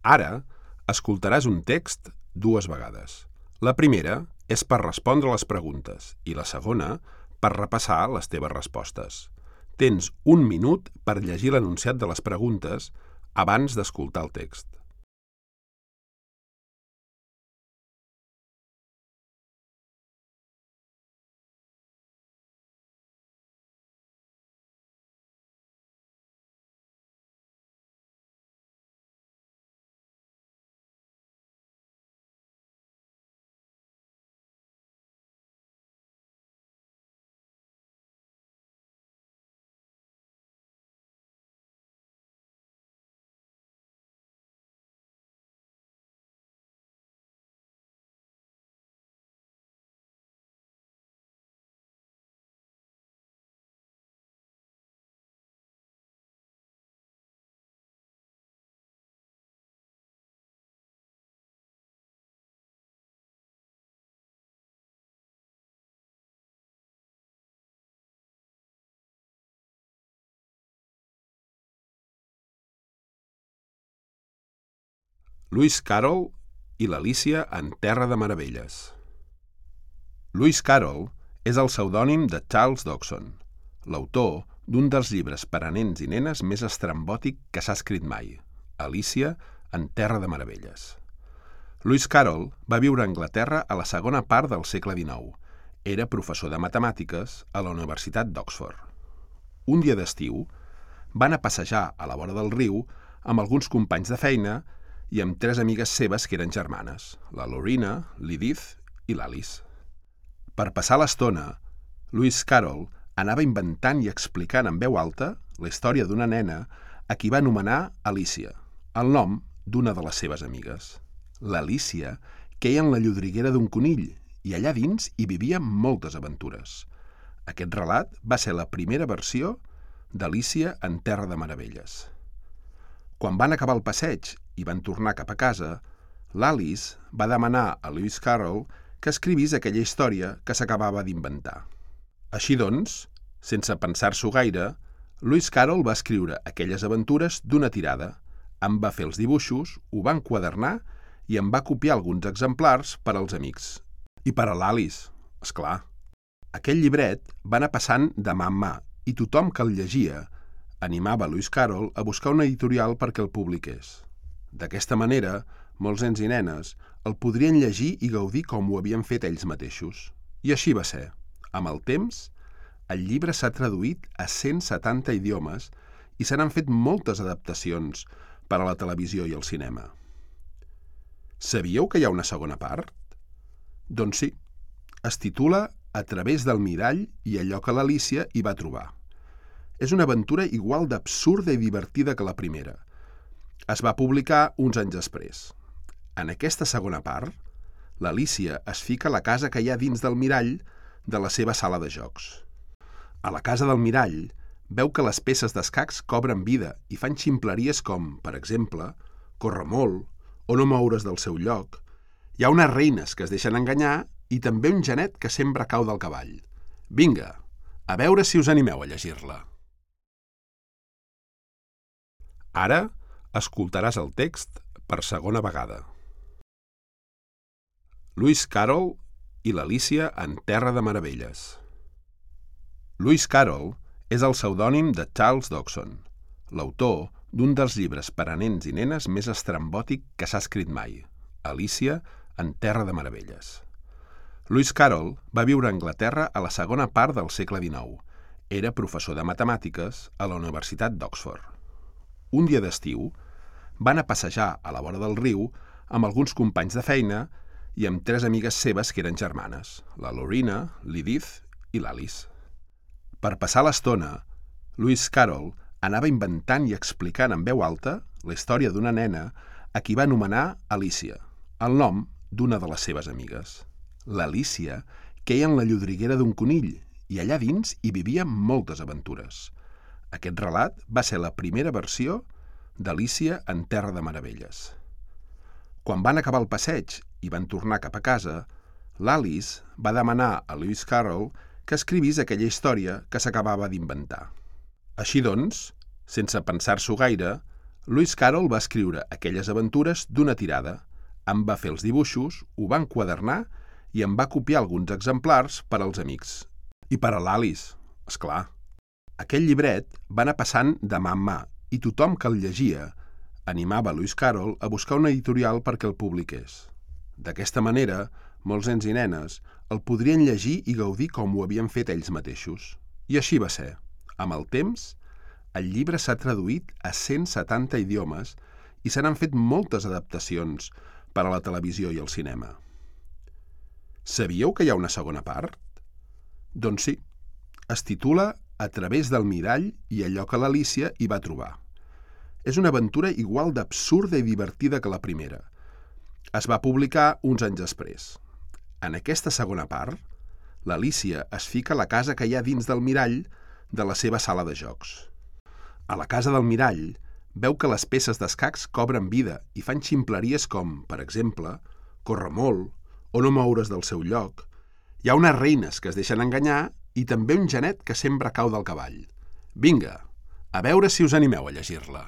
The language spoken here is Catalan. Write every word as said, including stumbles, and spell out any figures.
Ara, escoltaràs un text dues vegades. La primera és per respondre les preguntes i la segona per repassar les teves respostes. Tens un minut per llegir l'enunciat de les preguntes abans d'escoltar el text. Lewis Carroll i l'Alícia en Terra de Meravelles. Lewis Carroll és el pseudònim de Charles Dodgson, l'autor d'un dels llibres per a nens i nenes més estrambòtic que s'ha escrit mai, Alícia en Terra de Meravelles. Lewis Carroll va viure a Anglaterra a la segona part del segle dinou. Era professor de matemàtiques a la Universitat d'Oxford. Un dia d'estiu, va anar a passejar a la vora del riu amb alguns companys de feina i amb tres amigues seves que eren germanes, la Lorena, l'Edith i l'Alice. Per passar l'estona, Lewis Carroll anava inventant i explicant en veu alta la història d'una nena a qui va anomenar Alícia, el nom d'una de les seves amigues. L'Alícia queia en la llodriguera d'un conill i allà dins hi vivia moltes aventures. Aquest relat va ser la primera versió d'Alícia en Terra de Meravelles. Quan van acabar el passeig i van tornar cap a casa, l'Alice va demanar a Lewis Carroll que escrivís aquella història que s'acabava d'inventar. Així doncs, sense pensar-s'ho gaire, Lewis Carroll va escriure aquelles aventures d'una tirada, en va fer els dibuixos, ho va enquadernar i en va copiar alguns exemplars per als amics. I per a l'Alice, esclar. Aquell llibret va anar passant de mà en mà i tothom que el llegia animava Lewis Carroll a buscar una editorial perquè el publiqués. D'aquesta manera, molts nens i nenes el podrien llegir i gaudir com ho havien fet ells mateixos. I així va ser. Amb el temps, el llibre s'ha traduït a cent setanta idiomes i se n'han fet moltes adaptacions per a la televisió i el cinema. Sabíeu que hi ha una segona part? Doncs sí. Es titula A través del mirall i allò que l'Alícia hi va trobar. És una aventura igual d'absurda i divertida que la primera. Es va publicar uns anys després. En aquesta segona part, l'Alícia es fica a la casa que hi ha dins del mirall de la seva sala de jocs. A la casa del mirall veu que les peces d'escacs cobren vida i fan ximpleries com, per exemple, córrer molt o no moure's del seu lloc. Hi ha unes reines que es deixen enganyar i també un genet que sempre cau del cavall. Vinga, a veure si us animeu a llegir-la. Ara escoltaràs el text per segona vegada. Lewis Carroll i l'Alícia en Terra de Meravelles. Lewis Carroll és el pseudònim de Charles Dodgson, l'autor d'un dels llibres per a nens i nenes més estrambòtic que s'ha escrit mai, Alícia en Terra de Meravelles. Lewis Carroll va viure a Anglaterra a la segona part del segle dinou. Era professor de matemàtiques a la Universitat d'Oxford. Un dia d'estiu, va anar a passejar a la vora del riu amb alguns companys de feina i amb tres amigues seves que eren germanes, la Lorena, l'Edith i l'Alice. Per passar l'estona, Lewis Carroll anava inventant i explicant en veu alta la història d'una nena a qui va anomenar Alícia, el nom d'una de les seves amigues. L'Alícia queia en la llodriguera d'un conill i allà dins hi vivia moltes aventures. Aquest relat va ser la primera versió d'Alícia en Terra de Meravelles. Quan van acabar el passeig i van tornar cap a casa, l'Alice va demanar a Lewis Carroll que escrivís aquella història que s'acabava d'inventar. Així doncs, sense pensar-s'ho gaire, Lewis Carroll va escriure aquelles aventures d'una tirada, en va fer els dibuixos, ho va enquadernar i en va copiar alguns exemplars per als amics. I per a l'Alice, és clar. Aquell llibret va anar passant de mà en mà i tothom que el llegia animava Lewis Carroll a buscar una editorial perquè el publiqués. D'aquesta manera, molts nens i nenes el podrien llegir i gaudir com ho havien fet ells mateixos. I així va ser. Amb el temps, el llibre s'ha traduït a cent setanta idiomes i se n'han fet moltes adaptacions per a la televisió i el cinema. Sabíeu que hi ha una segona part? Doncs sí, es titula A través del mirall i allò que l'Alícia hi va trobar. És una aventura igual d'absurda i divertida que la primera. Es va publicar uns anys després. En aquesta segona part, l'Alícia es fica a la casa que hi ha dins del mirall de la seva sala de jocs. A la casa del mirall veu que les peces d'escacs cobren vida i fan ximpleries com, per exemple, córrer molt o no moure's del seu lloc. Hi ha unes reines que es deixen enganyar i també un genet que sempre cau del cavall. Vinga, a veure si us animeu a llegir-la.